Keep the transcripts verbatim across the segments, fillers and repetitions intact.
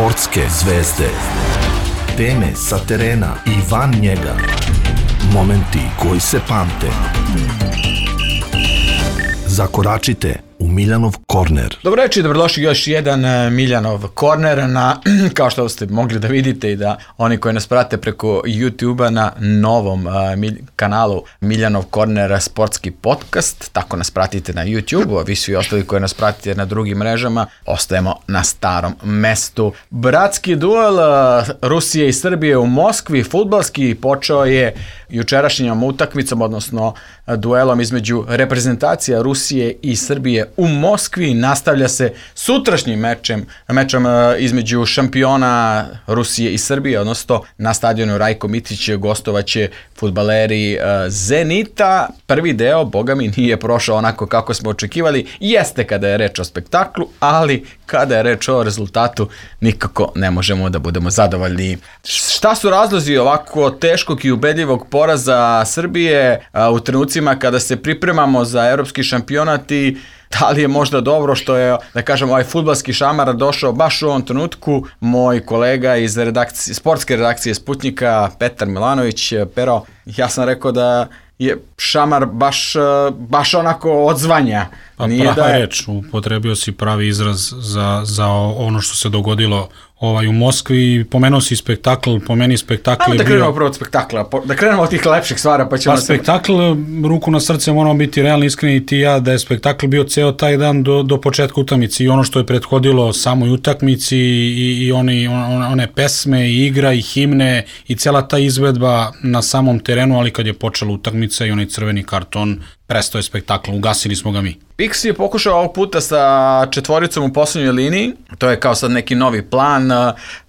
Sportske zvezde. Teme sa terena i van njega. Momenti koji se pamte. Zakoračite u Miljanov korner. Dobro večer i dobrodošli još jedan Miljanov korner na, kao što ste mogli da vidite i da oni koji nas prate preko YouTube-a na novom uh, mil, kanalu Miljanov korner sportski podcast. Tako nas pratite na YouTube-u, a vi svi ostali koji nas pratite na drugim mrežama ostajemo na starom mestu. Bratski duel uh, Rusije i Srbije u Moskvi, fudbalski, počeo je jučerašnjom utakmicom, odnosno uh, duelom između reprezentacija Rusije i Srbije u Moskvi. Nastavlja se sutrašnjim mečem, mečem između šampiona Rusije i Srbije, odnosno na stadionu Rajko Mitić gostovaće fudbaleri Zenita. Prvi deo, boga mi, nije prošao onako kako smo očekivali. Jeste kada je reč o spektaklu, ali kada je reč o rezultatu nikako ne možemo da budemo zadovoljni. Šta su razlozi ovako teškog i ubedljivog poraza Srbije u trenucima kada se pripremamo za evropski šampionat i da li je možda dobro što je, da kažem, ovaj fudbalski šamar došao baš u ovom trenutku? Moj kolega iz redakcije, sportske redakcije Sputnjika, Petar Milanović. Pero, ja sam rekao da je šamar baš, baš onako odzvanja. Pa Nije prava da je... reč, upotrebio si pravi izraz za, za ono što se dogodilo ovaj, u Moskvi. Pomenuo si spektakl, po meni spektakl Ajmo je da bio... krenemo prvo od spektakla, da krenemo od tih lepših stvara, pa ćemo... Pa spektakl, ruku na srce, moramo biti realni, iskreni i ti ja, da je spektakl bio ceo taj dan do, do početka utakmice i ono što je prethodilo samoj utakmici i, i oni, on, one pesme i igra i himne i cela ta izvedba na samom terenu, ali kad je počela utakmica i onaj crveni karton, prestao je spektakl, ugasili smo ga mi. Pixi je pokušao ovog puta sa četvoricom u poslednjoj liniji, to je kao sad neki novi plan,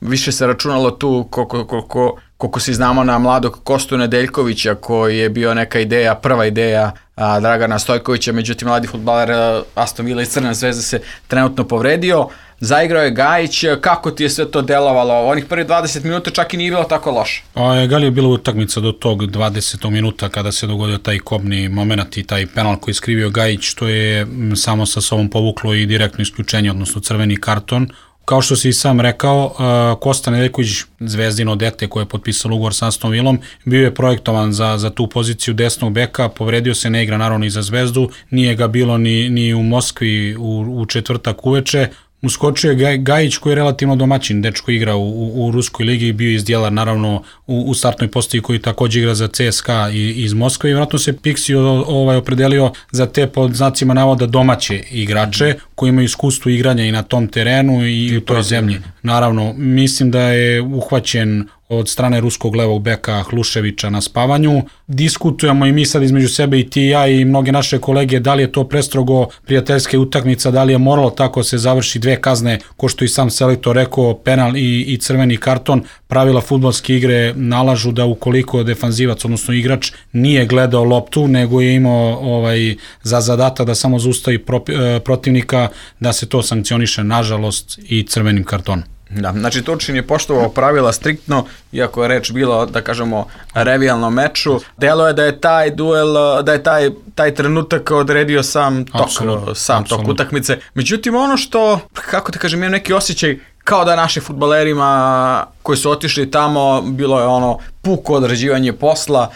više se računalo tu koliko, koliko, koliko si znamo na mladog Kostu Nedeljkovića koji je bio neka ideja, prva ideja a, Dragana Stojkovića, međutim mladi fudbaler Aston Villa iz Crne zvezde se trenutno povredio. Zaigrao je Gajić, kako ti je sve to delovalo? Onih prvi dvadeset minuta čak i nije bilo tako loše. A, gali je bila utakmica do tog dvadesetog minuta kada se dogodio taj kobni moment i taj penal koji je skrivio Gajić, što je samo sa sobom povuklo i direktno isključenje, odnosno crveni karton. Kao što si i sam rekao, Kosta Nedeljković, zvezdino dete koje je potpisalo ugovor sa Aston Villom, bio je projektovan za, za tu poziciju desnog beka, povredio se, ne igra naravno i za Zvezdu, nije ga bilo ni, ni u Moskvi u, u četvrtak uveče. Uskočio je Gajić koji je relativno domaćin, dečko igra u, u, u Ruskoj ligi i bio iz dijela naravno u, u startnoj postaji koji također igra za C S K A iz Moskve i vjerojatno se Pixi ovaj, opredelio za te pod znacima navoda domaće igrače koji imaju iskustvo igranja i na tom terenu i, i u toj zemlji. Naravno, mislim da je uhvaćen od strane ruskog levog beka Hluševića na spavanju. Diskutujemo i mi sad između sebe i ti i ja i mnoge naše kolege da li je to prestrogo prijateljske utakmica, da li je moralo tako se završi dve kazne, ko što i sam selektor rekao, penal i, i crveni karton. Pravila fudbalske igre nalažu da ukoliko defanzivac, odnosno igrač, nije gledao loptu, nego je imao ovaj, za zadatak da samo zaustavi pro, protivnika, da se to sankcioniše, nažalost, i crvenim kartonom. Da, znači Turčin je poštovao pravila striktno, iako je reč bilo, da kažemo, revijalnom meču. Delo je da je taj duel, da je taj, taj trenutak odredio sam tok, Absolutno. sam Absolutno. tok utakmice. Međutim, ono što, kako te kažem, imam neki osjećaj kao da našim fudbalerima koji su otišli tamo, bilo je ono puko odrađivanje posla,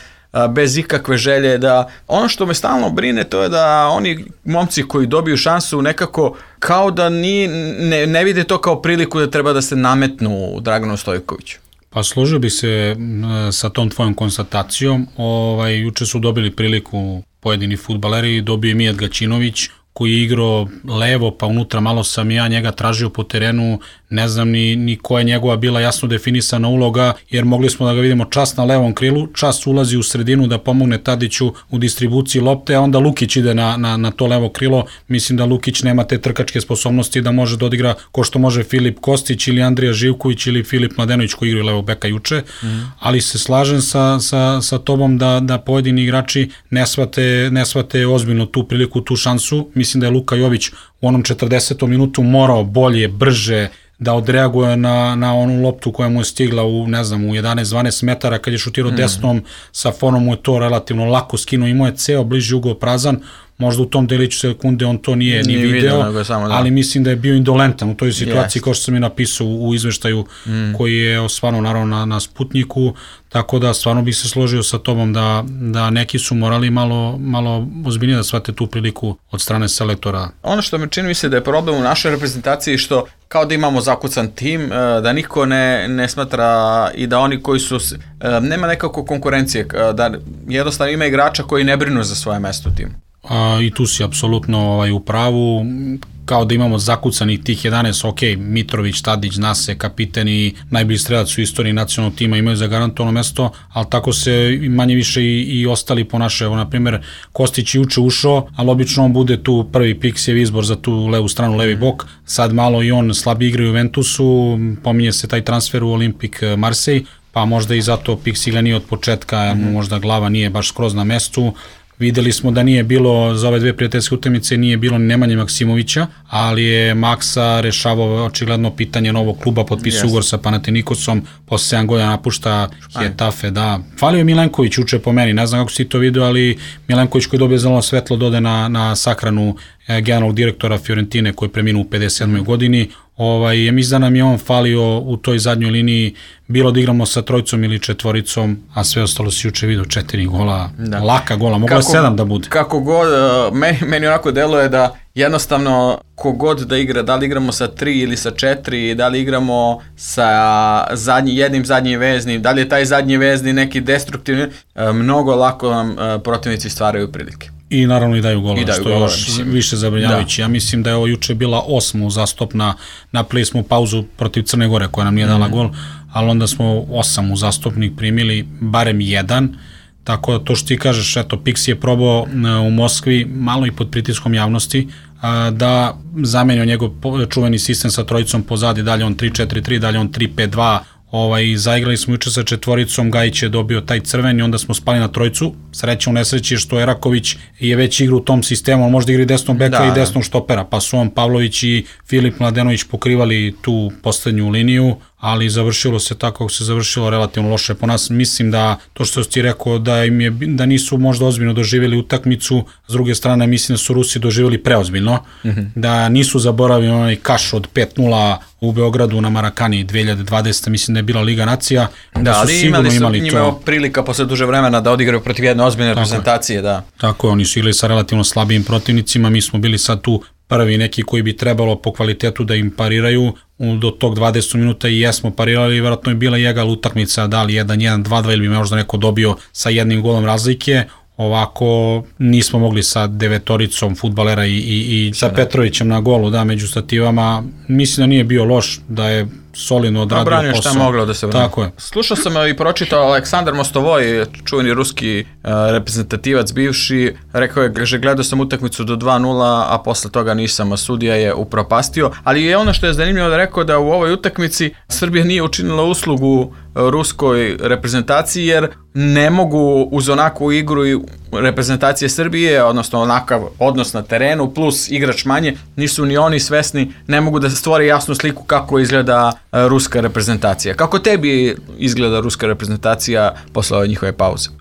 bez ikakve želje, da ono što me stalno brine to je da oni momci koji dobiju šansu nekako kao da ni, ne, ne vide to kao priliku da treba da se nametnu Draganu Stojkoviću. Pa složio bi se sa tom tvojom konstatacijom. Ovaj, juče su dobili priliku pojedini fudbaleri, dobio je Mijat Gaćinović koji je igrao levo, pa unutra malo sam ja njega tražio po terenu, ne znam ni, ni koja je njegova bila jasno definisana uloga, jer mogli smo da ga vidimo čas na levom krilu, čas ulazi u sredinu da pomogne Tadiću u distribuciji lopte, a onda Lukić ide na, na, na to levo krilo. Mislim da Lukić nema te trkačke sposobnosti da može da odigra ko što može Filip Kostić ili Andrija Živković ili Filip Mladenović koji igraju levo beka juče, mm. ali se slažem sa, sa, sa tobom da, da pojedini igrači ne shvate, ne shvate ozbiljno tu priliku, tu šansu. Mislim da je Luka Jović u onom četrdesetom minutu morao bolje, brže da odreaguje na, na onu loptu koja mu je stigla u, ne znam, u jedanaest dvanaest metara kad je šutirao mm. desnom, sa fonom mu je to relativno lako skinuo, imao je ceo bliži ugao prazan, možda u tom deliću sekunde on to nije, nije ni video, video nego samo, da. Ali mislim da je bio indolentan u toj situaciji, yes. kao što sam i napisao u, u izveštaju mm. koji je stvarno naravno na, na Sputniku, tako da stvarno bih se složio sa tobom da, da neki su morali malo, malo ozbiljnije da shvate tu priliku od strane selektora. Ono što mi čini mi se da je problem u našoj reprezentaciji što kao da imamo zakucan tim, da niko ne, ne smatra i da oni koji su, nema nekako konkurencije, da jednostavno ima igrača koji ne brinu za svoje mesto u timu. A, I tu si apsolutno ovaj, u pravu, kao da imamo zakucanih tih jedanaest, ok, Mitrović, Tadić, Nase, kapiteni, najbolji strelac u istoriji nacionalnog tima imaju zagarantovano mesto, ali tako se manje više i, i ostali ponašaju. Evo, na primjer, Kostić je juče ušao, ali obično on bude tu prvi Piksijev izbor za tu levu stranu, levi bok, sad malo i on slabi igra u Juventusu, pominje se taj transfer u Olimpik Marseille, pa možda i zato Piksi ga nije od početka, jer mu možda glava nije baš skroz na mestu. Videli smo da nije bilo, za ove dve prijateljske utakmice nije bilo ni Nemanje Maksimovića, ali je Maksa rešavao očigledno pitanje novog kluba, potpisao yes. ugovor sa Panathinaikosom, posle sedam godina napušta Getafe, da. Falio je Milenković uče po meni, ne znam kako si to vidio, ali Milenković koji dobije zeleno svetlo dode na, na sahranu generalnog direktora Fiorentine koji je preminuo u pedeset sedmoj godini. Ovaj, je mislim da nam je on falio u toj zadnjoj liniji, bilo da igramo sa trojicom ili četvoricom, a sve ostalo si juče vidio četiri gola, da. Laka gola, mogla je sedam da bude. Kako god, meni, meni onako deluje da jednostavno kogod da igra, da li igramo sa tri ili sa četiri, da li igramo sa zadnji, jednim zadnjim veznim, da li je taj zadnji vezni neki destruktivni, mnogo lako nam protivnici stvaraju prilike. I naravno i daju golova, I daju što je još više zabrinjavajući. Ja mislim da je ovo juče bila osma uzastopna, napravili smo pauzu protiv Crne Gore koja nam nije dala mm. gol, ali onda smo osam uzastopnih primili, barem jedan, tako da to što ti kažeš, eto, Piksi je probao u Moskvi, malo i pod pritiskom javnosti, da zamenio njegov čuveni sistem sa trojicom pozadi, dalje on tri četiri tri, dalje on tri pet dva, Ovaj, zaigrali smo juče sa četvoricom, Gajić je dobio taj crveni, onda smo spali na trojcu, sreća u nesreći što Eraković je već igra u tom sistemu, on možda igra i desnog beka da, i desnog štopera, pa su on Pavlović i Filip Mladenović pokrivali tu poslednju liniju, ali završilo se tako kako se završilo relativno loše po nas. Mislim da to što si ti rekao da im je, da nisu možda ozbiljno doživjeli utakmicu, s druge strane mislim da su Rusi doživjeli preozbiljno, mm-hmm. da nisu zaboravili onaj kaš od pet nula u Beogradu na Marakani dve hiljade dvadesete. mislim da je bila Liga nacija, da, da su ali sigurno imali, su, imali to. Imali prilika posle duže vremena da odigraju protiv jedne ozbiljne reprezentacije, da. Tako je, oni su igrali sa relativno slabijim protivnicima, mi smo bili sad tu prvi neki koji bi trebalo po kvalitetu da im pariraju, do tog dvadeset minuta i jesmo parirali, vjerojatno je bila jegal utakmica, da li jedan jedan dva dva ili bi možda neko dobio sa jednim golom razlike, ovako nismo mogli sa devetoricom fudbalera i, i, i sa Petrovićem na golu, da, među stativama, mislim da nije bio loš, da je solidno odradio posao. Obranio šta je moglo da se brani. Tako je. Slušao sam i pročitao Aleksandar Mostovoj, čuveni ruski uh, reprezentativac bivši, rekao je, že gledao sam utakmicu do dva nula, a posle toga nisam, a sudija je upropastio, ali je ono što je zanimljivo da rekao da u ovoj utakmici Srbija nije učinila uslugu ruskoj reprezentaciji, jer ne mogu uz onakvu igru i reprezentacije Srbije, odnosno onakav odnos na terenu, plus igrač manje, nisu ni oni svesni, ne mogu da stvore jasnu sliku kako izgleda ruska reprezentacija. Kako tebi izgleda ruska reprezentacija posle ove njihove pauze? Uh,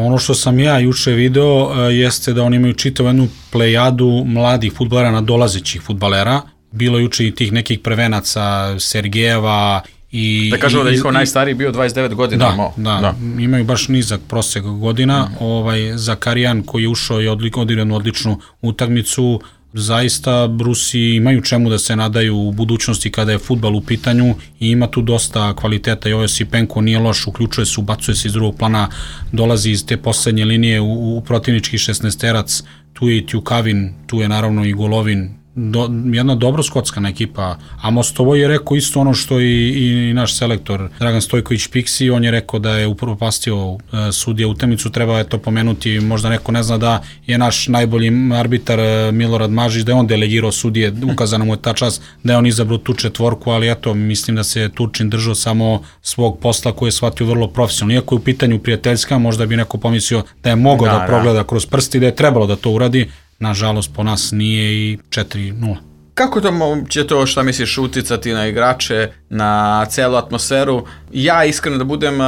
ono što sam ja juče video uh, jeste da oni imaju čitavu jednu plejadu mladih fudbalera, nadolazećih fudbalera. Bilo juče i tih nekih prvenaca, Sergejeva, I, da kažemo da je njihov najstariji bio dvadeset devet godina. Da, da, da, imaju baš nizak prosek godina. Mm. Ovaj, Zakarijan koji je ušao i odigrao odličnu utakmicu, zaista Rusi imaju čemu da se nadaju u budućnosti kada je fudbal u pitanju i ima tu dosta kvaliteta. I ovaj Sipenko nije loš, uključuje se, ubacuje se iz drugog plana, dolazi iz te poslednje linije u, u protivnički šesnaesterac, tu je i Tjukavin, tu je naravno i Golovin, Do, jedna dobro skockana ekipa, a Mostovoj je rekao isto ono što i, i naš selektor Dragan Stojković Piksi, on je rekao da je upropastio uh, sudija utakmicu, treba je to pomenuti, možda neko ne zna da je naš najbolji arbitar uh, Milorad Mažić, da je on delegirao sudije, ukazano mu je ta čast da je on izabrao tu četvorku, ali eto, mislim da se Turčin držao samo svog posla koji je shvatio vrlo profesionalno, iako je u pitanju prijateljska, možda bi neko pomislio da je mogao da, da progleda kroz prsti, da je trebalo da to uradi. Nažalost, po nas nije i četiri nula. Kako to će to, šta misliš, uticati na igrače, na celu atmosferu? Ja iskreno da budem,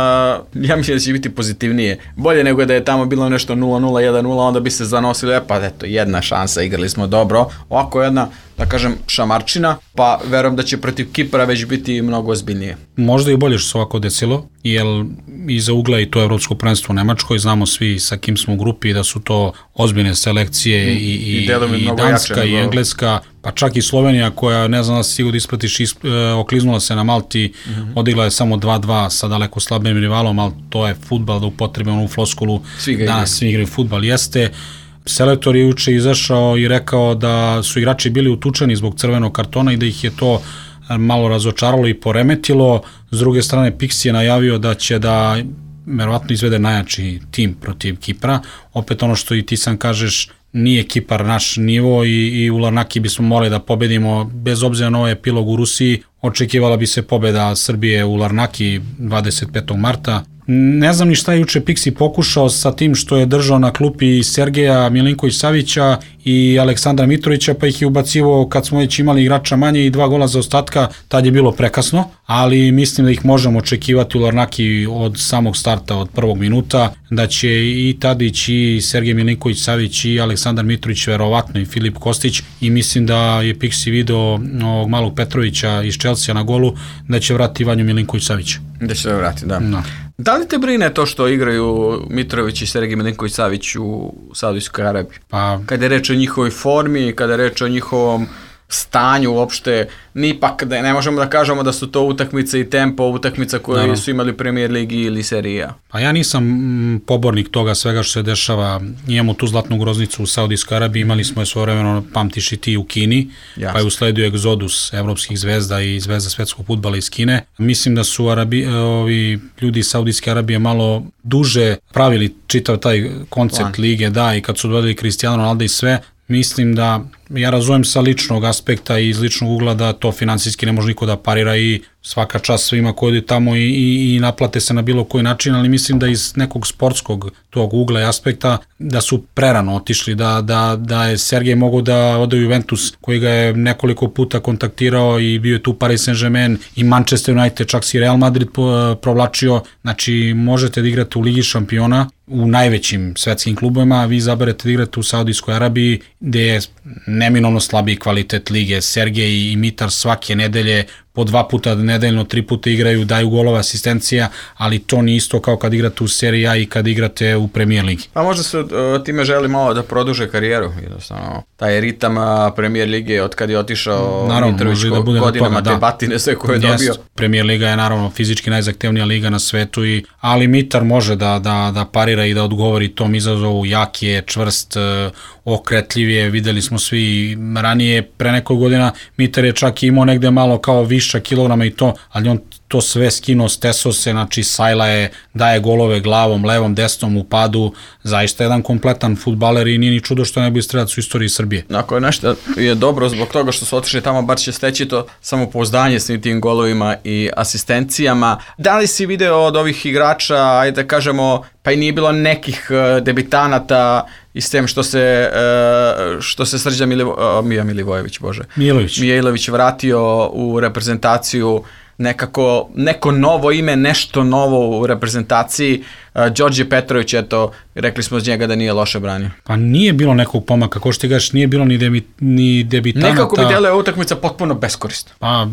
ja mislim da će biti pozitivnije. Bolje nego da je tamo bilo nešto nula nula, jedan nula, onda bi se zanosili, e pa eto, jedna šansa, igrali smo dobro. Ovako jedna, da kažem, šamarčina, pa verujem da će protiv Kipra već biti mnogo ozbiljnije. Možda i bolje što se ovako desilo, jer iza ugla i to evropsko prvenstvo u Nemačkoj, znamo svi sa kim smo u grupi da su to ozbiljne selekcije i, i, i, i Danska i Engleska, pa čak i Slovenija koja, ne znam da si sigurno da ispratiš, isp, e, okliznula se na Malti, mm-hmm. odigla je samo dva dva sa daleko slabim rivalom, ali to je fudbal, da upotrebimo onu floskulu, danas svi igraju fudbal, jeste. Selektor je juče izašao i rekao da su igrači bili utučeni zbog crvenog kartona i da ih je to malo razočaralo i poremetilo. S druge strane, Pixi je najavio da će da verovatno izvede najjači tim protiv Kipra. Opet ono što i ti sam kažeš, nije Kipar naš nivo i, i u Larnaki bismo morali da pobedimo, bez obzira na ovaj epilog u Rusiji, očekivala bi se pobeda Srbije u Larnaki dvadeset petog marta. Ne znam ni šta je juče Pixi pokušao sa tim što je držao na klupi Sergeja Milinković-Savića i Aleksandra Mitrovića, pa ih je ubacivao kad smo već imali igrača manje i dva gola za ostatka, tad je bilo prekasno, ali mislim da ih možemo očekivati u Larnaki od samog starta, od prvog minuta, da će i Tadić i Sergej Milinković-Savić i Aleksandar Mitrović, verovatno i Filip Kostić, i mislim da je Pixi video ovog malog Petrovića iz Chelsea na golu, da će vrati Vanju Milinković-Savića. Da će se vrati, da. No. Da li te brine to što igraju Mitrović i Sergej Milinković-Savić u Saudijskoj Arabiji? Pa, kada je reč o njihovoj formi, kada je reč o njihovom stanju uopšte, nipak da ne možemo da kažemo da su to utakmice i tempo utakmica koje da, su imali u Premier Ligi ili Seriji A. Pa ja nisam pobornik toga svega što se dešava. Imamo tu zlatnu groznicu u Saudijskoj Arabiji, imali smo je svojevremeno, pamtiš i ti, u Kini, Jasne. Pa je usledio egzodus evropskih zvezda i zvezda svetskog fudbala iz Kine. Mislim da su Arabi, ovi ljudi iz Saudijske Arabije malo duže pravili čitav taj koncept Plan. lige, da, i kad su dodali Cristiano Ronaldo i sve, mislim da, ja razumem sa ličnog aspekta i iz ličnog ugla da to finansijski ne može niko da parira i svaka čast svima koji odi tamo i, i, i naplate se na bilo koji način, ali mislim da iz nekog sportskog tog ugla i aspekta da su prerano otišli, da, da, da je Sergej mogao da ode u Juventus koji ga je nekoliko puta kontaktirao i bio je tu Paris Saint-Germain i Manchester United, čak si Real Madrid provlačio, znači možete da igrate u Ligi šampiona u najvećim svetskim klubovima, a vi izaberete da igrate u Saudijskoj Arabiji gde je neminovno slabiji kvalitet lige. Sergej i Mitar svake nedelje po dva puta nedeljno, tri puta igraju, daju golova, asistencija, ali to nije isto kao kad igrate u Seriji A i kad igrate u Premier Ligi. Pa možda se uh, time želi malo da produže karijeru, jednostavno. Taj ritam Premier Lige od kad je otišao naravno, Mitrović da bude godinama, te batine sve koje je yes, dobio. Premier Liga je naravno fizički najzahtevnija liga na svetu, i, ali Mitar može da, da, da parira i da odgovori tom izazovu, jak je, čvrst, okretljiv je, videli smo svi ranije, pre nekoj godina Mitar je čak imao negde malo kao viša kilograma i to, ali on to sve skinuo, steso se, znači sajla je, daje golove glavom, levom, desnom u padu, zaista jedan kompletan fudbaler i nije ni čudo što je najbolji strelac u istoriji Srbije. Ako je nešto je dobro zbog toga što su otišli tamo, bar će steći to samopouzdanje s tim golovima i asistencijama. Da li si video od ovih igrača, ajde da kažemo, pa i nije bilo nekih debitanata i s tem što se, što se Srđan Milivo, Mija Milivojević, bože, Mijailović. Mijailović vratio u reprezentaciju, nekako, neko novo ime, nešto novo u reprezentaciji. Đorđe Petrović, eto, rekli smo od njega da nije loše branio. Pa nije bilo nekog pomaka, ko što ti gaš, nije bilo ni, debi, ni debitanata. Nekako bi deluje utakmica potpuno beskorisna. Pa,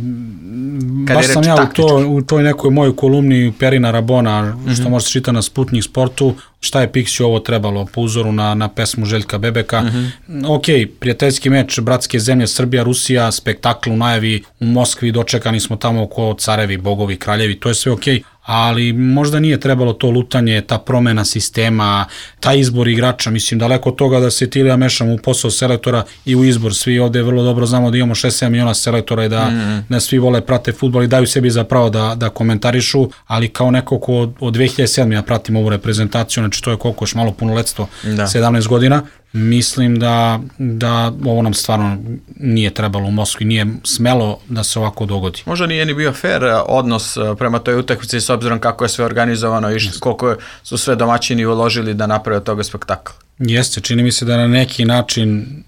kad baš sam ja u, to, u toj nekoj mojoj kolumni Perina Rabona, mm-hmm. što možete čitati na Sputnik Sportu, šta je Pixi ovo trebalo, po uzoru na, na pesmu Željka Bebeka. Mm-hmm. Ok, prijateljski meč, bratske zemlje, Srbija, Rusija, spektakl u najavi u Moskvi, dočekani smo tamo oko carevi, bogovi, kraljevi, to je sve ok, ali možda nije trebalo to lutanje, ta promena sistema, taj izbor igrača, mislim daleko od toga da se ti ja mešam u posao selektora i u izbor. Svi ovde vrlo dobro znamo da imamo šest sedam miliona selektora i da, mm. da svi vole, prate fudbal i daju sebi za pravo da, da komentarišu, ali kao neko ko od, od dve hiljade sedme ja pratim ovu reprezentaciju, znači to je koliko još malo punoletstvo, da. sedamnaest godina, mislim da, da ovo nam stvarno nije trebalo u Moskvi, nije smelo da se ovako dogodi. Možda nije ni bio fair odnos prema toj utakmici s obzirom kako je sve organizovano i koliko su sve domaćini uložili da naprave od toga spektakl. Jeste, čini mi se da na neki način,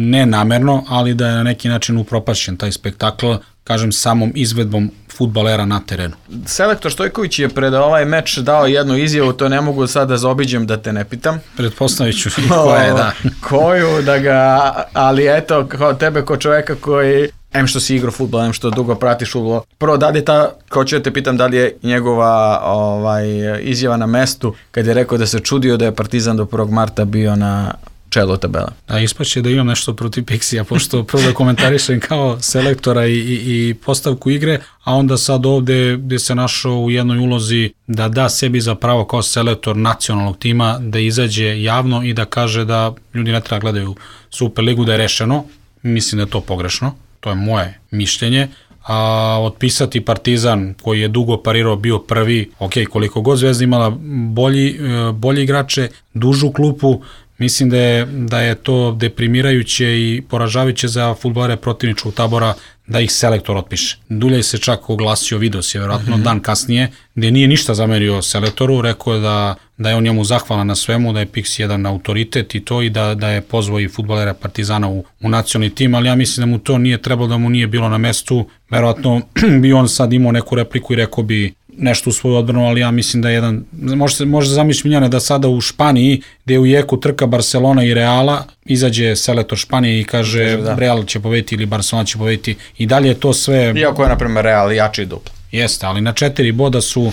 ne namerno, ali da je na neki način upropašćen taj spektakl, kažem, samom izvedbom fudbalera na terenu. Selektor Stojković je pred ovaj meč dao jednu izjavu, to ne mogu sad da zaobiđem da te ne pitam. Pretpostavit ću koja je, da. Koju, da ga, ali eto, kao tebe, kao čoveka koji, em što si igrao fudbal, em što dugo pratiš fudbal. Prvo, da li je ta, kao ću da te pitam, da li je njegova ovaj, izjava na mestu, kad je rekao da se čudio da je Partizan do prvog marta bio na čelu tabela. Da, ispaće da imam nešto protiv Pixija, pošto prvo da komentarišem kao selektora i, i, i postavku igre, a onda sad ovde gde se našao u jednoj ulozi da da sebi za pravo kao selektor nacionalnog tima da izađe javno i da kaže da ljudi ne treba gledaju Superligu, da je rešeno. Mislim da je to pogrešno, to je moje mišljenje. A otpisati Partizan koji je dugo parirao, bio prvi, ok, koliko god Zvezda imala bolji, bolji igrače, dužu klupu, mislim da je, da je to deprimirajuće i poražavajuće za fudbalere protivničkog tabora da ih selektor otpiše. Duljaj se čak oglasio, video se vjerojatno mm-hmm. dan kasnije, gde nije ništa zamerio selektoru, rekao je da, da je on njemu zahvalan na svemu, da je Pix jedan autoritet i to, i da, da je pozvao i fudbalera Partizana u, u nacionalni tim, ali ja mislim da mu to nije trebalo, da mu nije bilo na mestu. Vjerojatno bi on sad imao neku repliku i rekao bi nešto u svoju odbranu, ali ja mislim da je jedan, može se može zamisliti Miljane da sada u Španiji, gde je u jeku trka Barcelona i Reala, izađe selektor Španije i kaže da. Real će pobediti ili Barcelona će pobediti, i dalje je to sve... Iako je, na primjer, Real jači duplo. Jeste, ali na četiri boda su,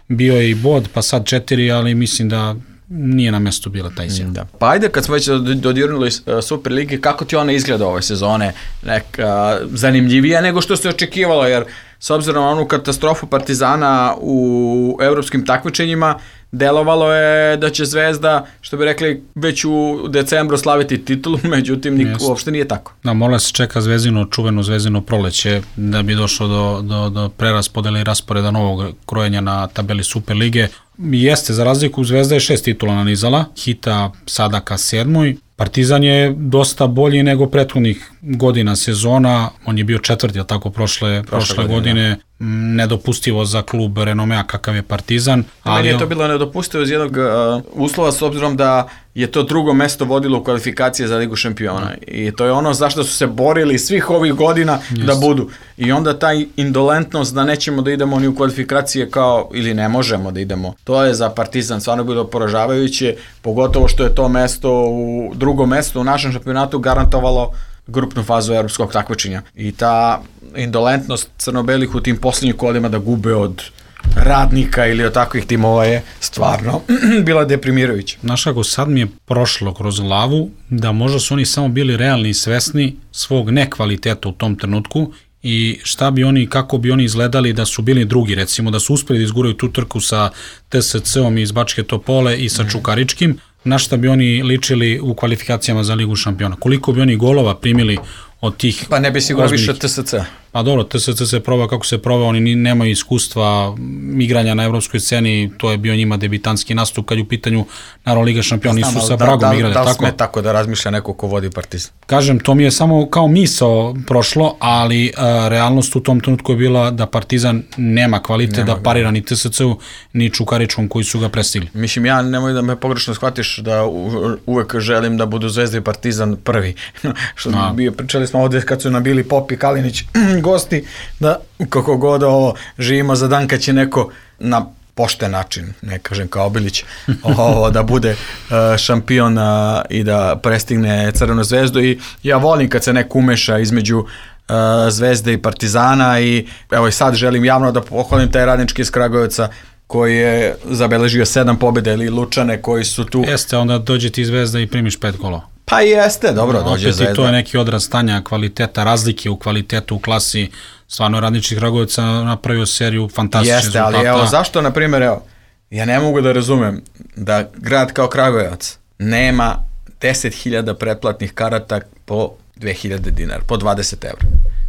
bio i bod, pa sad četiri, ali mislim da nije na mestu bila taj izjava. Da. Pa ajde, kad smo već dodirnuli Super Ligi, kako ti ona izgleda ove sezone? Neka zanimljivija nego što se očekivalo, jer s obzirom na onu katastrofu Partizana u evropskim takmičenjima, delovalo je da će Zvezda, što bi rekli, već u decembru slaviti titulu, međutim, nik, uopšte nije tako. Da, morala se čeka Zvezdino, čuveno Zvezdino proleće, da bi došlo do, do, do preraspodele i rasporeda novog krojenja na tabeli Super Lige. Jeste, za razliku, Zvezda je šest titula nanizala, Hita sada ka sedmoj. Partizan je dosta bolji nego prethodnih godina sezona, on je bio četvrti, ali tako, prošle, prošle, prošle godine, godine. Nedopustivo za klub renomea kakav je Partizan. Ali meni je to bilo nedopustivo iz jednog uh, uslova, s obzirom da je to drugo mesto vodilo u kvalifikacije za Ligu šampiona. Mm. I to je ono zašto su se borili svih ovih godina Just. da budu. I onda taj indolentnost da nećemo da idemo ni u kvalifikacije kao, ili ne možemo da idemo. To je za Partizan stvarno bilo poražavajuće, pogotovo što je to mesto u drugo mesto u našem šampionatu garantovalo grupnu fazu evropskog takmičenja. I ta indolentnost crno-belih u tim posljednjih kolima da gube od Radnika ili od takvih timova je stvarno bila deprimirajuća. Znaš kako, sad mi je prošlo kroz glavu da možda su oni samo bili realni i svesni svog nekvaliteta u tom trenutku i šta bi oni, kako bi oni izgledali da su bili drugi, recimo da su uspeli da izguraju tu trku sa T S C-om iz Bačke Topole i sa mm. Čukaričkim, na šta bi oni ličili u kvalifikacijama za Ligu šampiona. Koliko bi oni golova primili od tih... Pa ne bi sigurno više T S C. Pa dobro, T S C se probao kako se probao, oni nemaju iskustva igranja na evropskoj sceni, to je bio njima debitanski nastup kad je u pitanju naravno Liga šampiona, nisu sa Bragom da, da, igrali. Da li tako? sme tako da razmišlja neko ko vodi Partizan? Kažem, to mi je samo kao misao prošlo, ali a, realnost u tom trenutku je bila da Partizan nema kvalitet nema da parira ni T S C-u, ni Čukaričkom koji su ga prestigli. Mislim, ja nemoj da me pogrešno shvatiš da u, uvek želim da budu Zvezda i Partizan prvi. Što a. bio, pričali smo ovde kad su nabili Pop i Kalinić gosti, da kako god ovo živimo za dan kad će neko na pošten način, ne kažem kao Obilić, ovo, da bude uh, šampion uh, i da prestigne Crvenu zvezdu, i ja volim kad se neko umeša između uh, Zvezde i Partizana, i evo i sad želim javno da pohvalim taj Radnički iz Kragujevca koji je zabeležio sedam pobjeda, ili Lučane koji su tu. Jeste, onda dođe ti Zvezda i primiš pet golova. Pa jeste, dobro, no, dođe Zvezda. Opet i to je neki odraz stanja kvaliteta, razlike u kvalitetu u klasi. Stvarno Radnički Kragujevac napravio seriju fantastičnih jeste, rezultata. Jeste, ali evo, zašto, na primjer, evo, ja ne mogu da razumem da grad kao Kragujevac nema deset hiljada pretplatnih karata po dve hiljade dinara, po dvadeset evra.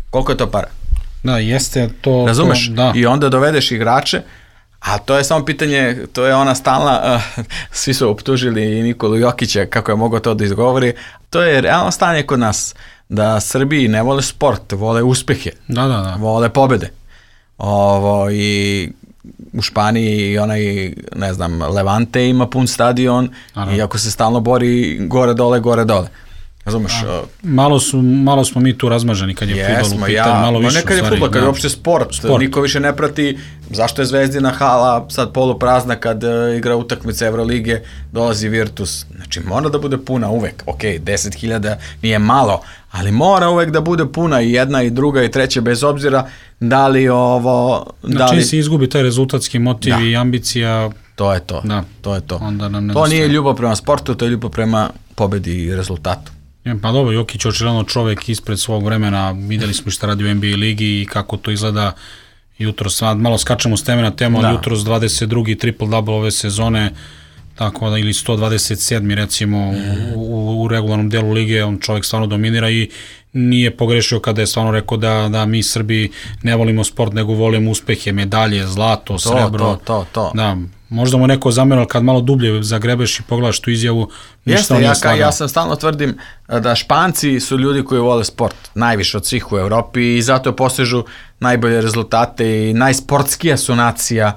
Koliko je to para? Da, jeste to... Razumeš? To, da. I onda dovedeš igrače, a to je samo pitanje, to je ona stalna, uh, svi su optužili i Nikolu Jokića kako je mogao to da izgovori, to je realno stanje kod nas, da Srbiji ne vole sport, vole uspehe, da, da, da. vole pobede. Ovo, i u Španiji i onaj, ne znam, Levante ima pun stadion i ako se stalno bori gore dole, gore dole. Razumeš? Malo, su, malo smo mi tu razmaženi kad je jesmo, fudbal u pitanju, ja, malo više. Ne kad je fudbal, kad je uopšte sport, sport, niko više ne prati zašto je Zvezdina hala sad poluprazna kad uh, igra utakmice Evrolige, dolazi Virtus. Znači mora da bude puna uvek, ok, deset hiljada nije malo, ali mora uvek da bude puna i jedna i druga i treća, bez obzira da li ovo... Znači da li... se izgubi taj rezultatski motiv da. I ambicija... To je to, da. to je to. Onda nam to nije ljubav prema sportu, to je ljubav prema pobedi i rezultatu. Pa dobro, Jokić je očigledno čovek ispred svog vremena, videli smo šta radi u N B A ligi i kako to izgleda jutros, malo skačemo s teme na temu, ali jutros dvadeset drugi triple-double ove sezone, tako da ili sto dvadeset sedmi recimo u, u regularnom delu lige, on čovjek stvarno dominira i nije pogrešio kada je stvarno rekao da, da mi Srbi ne volimo sport, nego volimo uspehe, medalje, zlato, to, srebro. To, to, to. Da, možda mu neko zamerao kad malo dublje zagrebeš i pogledaš tu izjavu, ništa on nije slagao. Ja sam stalno tvrdim da Španci su ljudi koji vole sport, najviše od svih u Evropi i zato posežu najbolje rezultate i najsportskija su nacija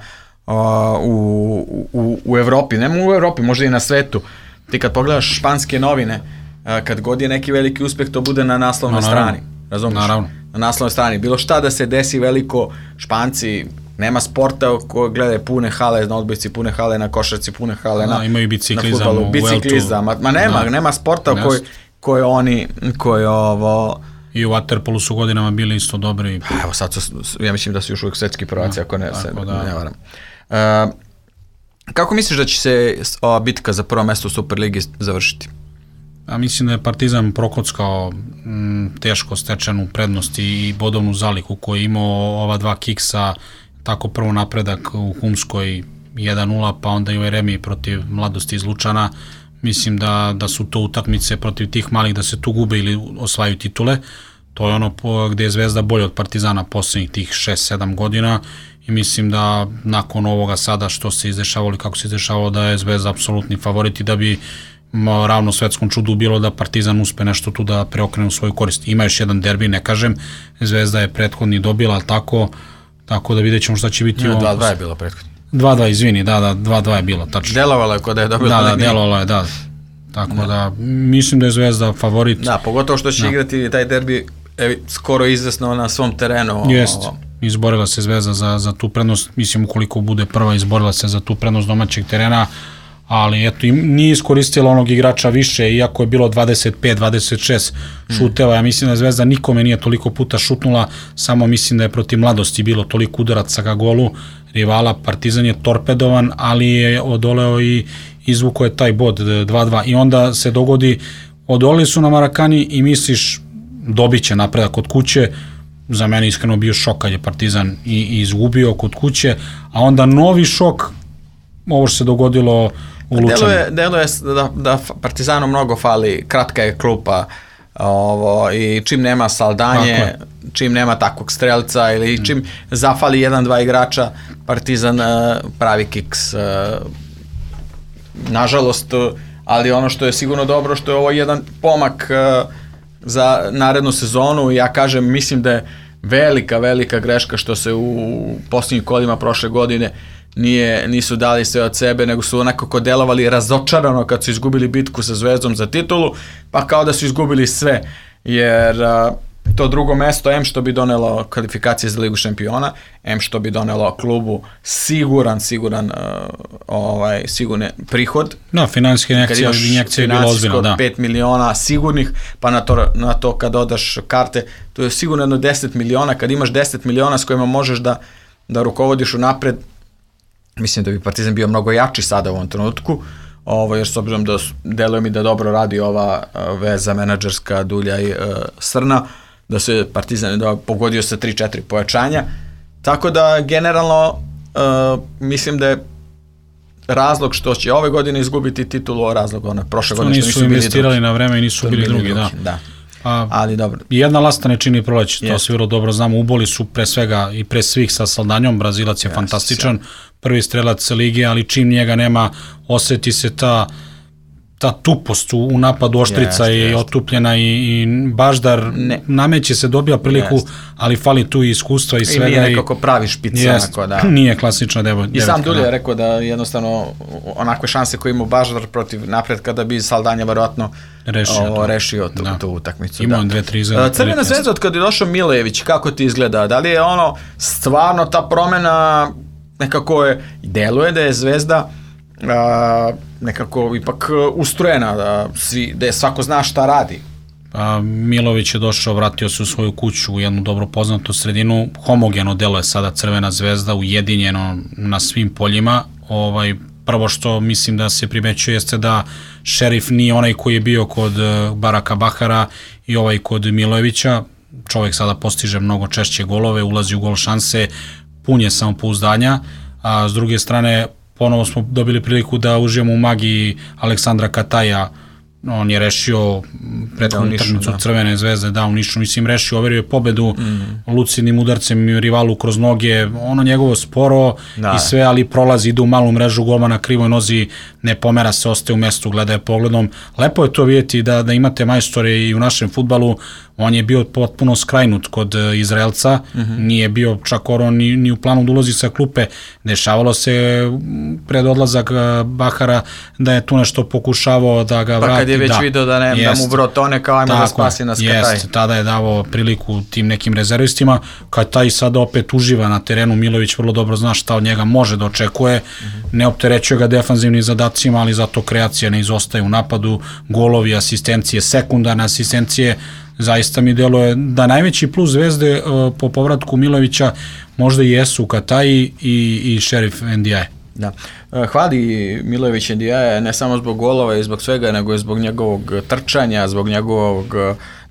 uh, u, u, u Evropi, ne u Evropi, možda i na svetu. Ti kad pogledaš španske novine, uh, kad god je neki veliki uspeh, to bude na naslovnoj no, strani. Razumiješ? Naravno. Na naslovnoj strani. Bilo šta da se desi veliko, Španci, nema sporta koji gledaju pune hale na odbojci, pune hale na košarci, pune hale da, na, imaju biciklizam, na fudbalu, biciklizam. Ma, ma nema, da. nema sporta yes. koji, koji oni, koji ovo... I u waterpolu su godinama bili isto dobri. Pa evo sad su, ja mislim da su još uvijek svetski prvaci, da, ako ne, se, da. ne varam. Uh, kako misliš da će se ova bitka za prvo mesto u Superligi završiti? Ja mislim da je Partizan prokockao m, teško stečenu prednost i bodovnu zaliku koju je imao ova dva kiksa, tako prvo napredak u Humskoj jedan nula, pa onda i u Eremiji protiv Mladosti iz Lučana. Mislim da, da su to utakmice protiv tih malih da se tu gube ili osvajaju titule. To je ono po, gde je Zvezda bolje od Partizana poslednjih tih šest sedam godina i mislim da nakon ovoga sada što se izdešavalo i kako se izdešavalo da je Zvezda apsolutni favorit i da bi ravno svetskom čudu bilo da Partizan uspe nešto tu da preokrene u svoju korist. Ima još jedan derbi, ne kažem, Zvezda je prethodni dobila, ali tako, tako da vidjet ćemo šta će biti. dva dva je bilo prethodni. dva dva, izvini, da, da, dva dva je bilo, tačno. Delovalo je kod da je dobila. Da, da, delovalo je, da. Tako da. da, mislim da je Zvezda favorit. Da, pogotovo što će da. igrati taj derbi evi, skoro izvesno na svom terenu. Jest, izborila se Zvezda za, za tu prednost, mislim ukoliko bude prva, izborila se za tu prednost domaćeg terena, ali eto, nije iskoristila onog igrača više, iako je bilo dvadeset pet dvadeset šest šuteva, ja mislim da Zvezda nikome nije toliko puta šutnula, samo mislim da je protiv Mladosti bilo toliko udaraca ka golu rivala, Partizan je torpedovan, ali je odoleo i izvuko je taj bod dva dva i onda se dogodi, odolili su na Marakani i misliš dobit će napredak kod kuće, za mene iskreno bio šok kad je Partizan i, i izgubio kod kuće, a onda novi šok, ovo što se dogodilo u Lučanu. Deluje, deluje da, da Partizanu mnogo fali, kratka je klupa ovo, i čim nema Saldanje, čim nema takvog strelca ili čim zafali jedan, dva igrača, Partizan uh, pravi kiks. Uh, nažalost, ali ono što je sigurno dobro, što je ovo jedan pomak uh, za narednu sezonu, ja kažem, mislim da je velika, velika greška što se u posljednjim kolima prošle godine nije, nisu dali sve od sebe, nego su onako delovali razočarano kad su izgubili bitku sa Zvezdom za titulu, pa kao da su izgubili sve, jer a, to drugo mesto, em što bi donelo kvalifikacije za Ligu šampiona, em što bi donelo klubu siguran, siguran a, ovaj, sigurne prihod. No, finansijske injekcije, injekcije je bilo ozbiljno, da. pet miliona sigurnih, pa na to, na to kad odaš karte, to je sigurno jedno deset miliona, kad imaš deset miliona s kojima možeš da, da rukovodiš unapred, mislim da bi Partizan bio mnogo jači sada u ovom trenutku, ovo, jer s obzirom da deluje mi da dobro radi ova veza menadžerska Dulja i uh, Srna, da se Partizan da pogodio sa tri četiri pojačanja, tako da generalno uh, mislim da je razlog što će ove godine izgubiti titulu, razlog one prošle godine što nisu, nisu investirali drugi. Na vreme i nisu bili, bili drugi, drugi, da. da. A, ali dobro. Jedna lasta ne čini proleće, to se vrlo dobro znamo, uboli su pre svega i pre svih sa Saldanjom, Brazilac je yes, fantastičan, yes. prvi strelac lige, ali čim njega nema, oseti se ta ta tupost u napadu, Oštrica jest, je jest. otupljena i, i Baždar ne. nameće se, dobija priliku, jest. ali fali tu i iskustva i svega. I nije nekako pravi špica. Jest, onako, da. Nije klasična devetka. I sam Dulje je rekao da jednostavno onakve šanse koje ima Baždar protiv napretka da bi Saldanja verovatno rešio, o, rešio tu, tu utakmicu. Imao dve, tri za... Crvena zvezda, od kada je došao Milejević, kako ti izgleda? Da li je ono stvarno ta promena nekako je, deluje da je Zvezda a, nekako ipak ustrojena, da, svi, da je svako zna šta radi. A, Milović je došao, vratio se u svoju kuću u jednu dobro poznatu sredinu, homogeno deluje sada Crvena zvezda, ujedinjeno na svim poljima. Ovaj, prvo što mislim da se primećuje jeste da Šerif nije onaj koji je bio kod Baraka Bahara i ovaj kod Milojevića. Čovjek sada postiže mnogo češće golove, ulazi u gol šanse, pun je samopouzdanja, a s druge strane ponovo smo dobili priliku da užijemo u magiji Aleksandra Kataja. On je rešio prethodnu utakmicu Crvene zvezde, da, u Nišu, mislim, rešio, overio je pobedu mm. lucidnim udarcem i rivalu kroz noge, ono njegovo sporo da. I sve, ali prolazi, ide u malu mrežu, golma na krivoj nozi, ne pomera se, ostaje u mestu, gleda je pogledom. Lepo je to vidjeti da, da imate majstore i u našem fudbalu. On je bio potpuno skrajnut kod Izraelca, mm-hmm. nije bio čak oro ni, ni u planu da ulazi sa klupe. Dešavalo se pred odlazak Bahara da je tu nešto pokušavao da ga vrati. Pa kad je već da, video da, ne, jest, da mu brotone kao ajmo da spasi nas Kataj. Jest, tada je davao priliku tim nekim rezervistima. Kataj sada opet uživa na terenu, Milović vrlo dobro zna šta od njega može da očekuje. Mm-hmm. Ne opterećuje ga defanzivnim zadacima, ali zato kreacija ne izostaje u napadu, golovi, asistencije, sekundarne asistencije. Zaista mi deluje da najveći plus Zvezde uh, po povratku Milovića možda i jesu Kataji i, i Šerif Ndiaye. Da. Hvali Milojević Ndiaye ne samo zbog golova i zbog svega, nego i zbog njegovog trčanja, zbog njegovog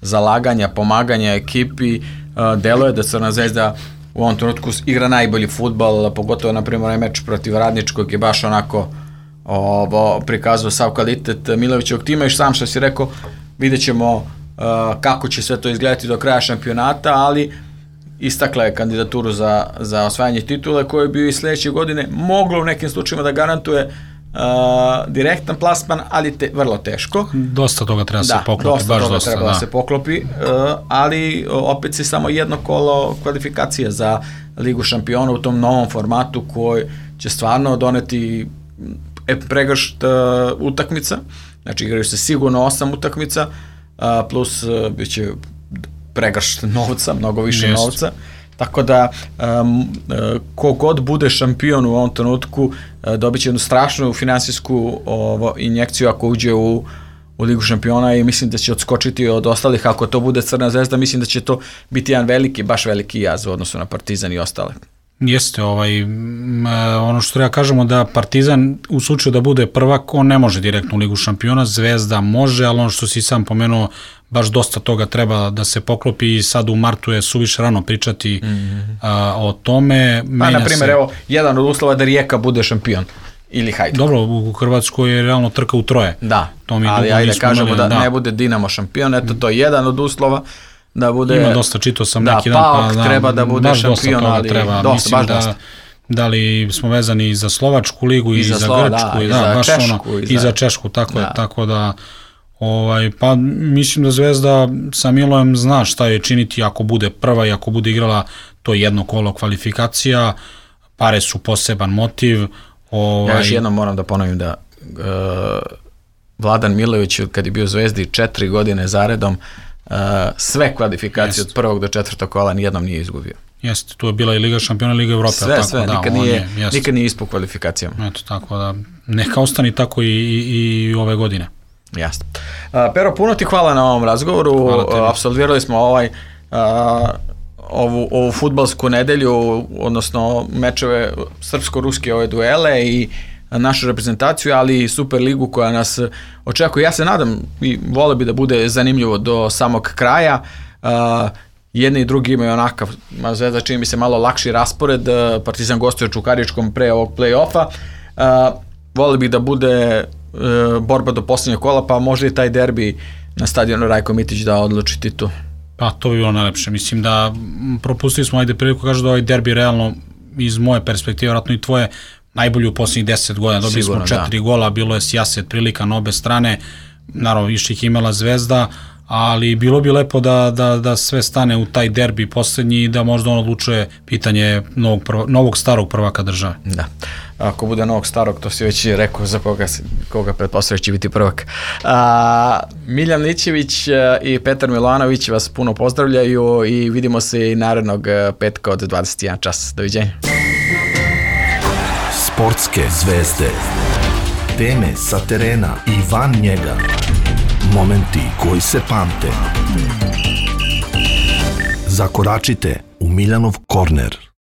zalaganja, pomaganja ekipi. Deluje da Crna zvezda u ovom trenutku igra najbolji fudbal, pogotovo na primjer meč protiv Radničkog je baš onako ovo, prikazao sav kvalitet Milojevićevog tima i sam što si rekao, vidjet ćemo Uh, kako će sve to izgledati do kraja šampionata, ali istakla je kandidaturu za, za osvajanje titule koje bi i sledeće godine moglo u nekim slučajima da garantuje uh, direktan plasman, ali te, vrlo teško. Dosta toga treba da, se poklopi, dosta baš toga dosta, treba da. da se poklopi, uh, ali opet se samo jedno kolo kvalifikacije za Ligu šampiona u tom novom formatu koji će stvarno doneti pregršt uh, utakmica, znači igraju se sigurno osam utakmica, Uh, plus uh, bit će pregršt novca, mnogo više Jest. novca, tako da um, uh, kogod bude šampion u ovom trenutku uh, dobit će jednu strašnu finansijsku ovo, injekciju ako uđe u, u Ligu šampiona i mislim da će odskočiti od ostalih. Ako to bude Crna zvezda, mislim da će to biti jedan veliki, baš veliki jaz u odnosu na Partizan i ostale. Jeste, ovaj, ono što treba kažemo da Partizan u slučaju da bude prvak, on ne može direktno u Ligu šampiona, Zvezda može, ali ono što si sam pomenuo, baš dosta toga treba da se poklopi i sad u martu je suviše rano pričati mm-hmm. a, o tome. Pa, na primjer, se... evo, jedan od uslova da Rijeka bude šampion ili Hajduk. Dobro, u Hrvatskoj je realno trka u troje. Da, to mi ali ajde kažemo da, da ne bude Dinamo šampion, eto to je jedan od uslova. Da bude, ima dosta, čitao sam da, neki dan, pa da, treba da bude šampion, ali treba. dosta, mislim baš da, dosta. Da li smo vezani i za Slovačku ligu i, i za, za Slova, Grčku da, i, i da, za baš Češku, ono, i, za... i za Češku, tako da. je, tako da ovaj, pa mislim da Zvezda sa Milojem zna šta je činiti ako bude prva i ako bude igrala to jedno kolo kvalifikacija, pare su poseban motiv. Ovaj... Ja još jednom moram da ponovim da uh, Vladan Milojević kad je bio u Zvezdi četiri godine zaredom Uh, sve kvalifikacije Jest. od prvog do četvrtog kola nijednom nije izgubio. Jeste, tu je bila i Liga šampiona, Liga Evrope. Sve, tako, sve, da, nikad, nije, je, nikad nije ispod kvalifikacijama. Eto, tako da, neka ostani tako i, i, i ove godine. Jasno. Uh, Pero, puno ti hvala na ovom razgovoru, uh, apsolvirali smo ovaj uh, ovu, ovu fudbalsku nedelju, odnosno mečeve srpsko-ruske ove duele i našu reprezentaciju, ali i Super ligu koja nas očekuje. Ja se nadam i vole bi da bude zanimljivo do samog kraja. Uh, jedni i drugi imaju onakav, Zvezda čini mi se malo lakši raspored, uh, Partizan gostuje Čukaričkom pre ovog play-offa. Uh, vole bi da bude uh, borba do posljednjeg kola, pa možda i taj derbi na stadionu Rajko Mitić da odluči titul. Pa to bi bilo najlepše. Mislim da propustili smo ajde priliku, kažu da ovaj derbi realno iz moje perspektive, vratno i tvoje, najbolji u posljednjih deset godina. Dobili Sigurno, smo četiri da. gola, bilo je sjaset prilika na obe strane, naravno više ih imala Zvezda, ali bilo bi lepo da, da, da sve stane u taj derbi poslednji i da možda on odlučuje pitanje novog, prva, novog starog prvaka države. Da. Ako bude novog starog, to si već rekao za koga, koga pretpostavljaš će biti prvak. A, Miljan Lićević i Petar Milanović vas puno pozdravljaju i vidimo se i narednog petka od dvadeset jedan čas. Doviđenja. Sportske zvezde. Teme sa terena i van njega. Momenti koji se pamte. Zakoračite u Miljanov korner.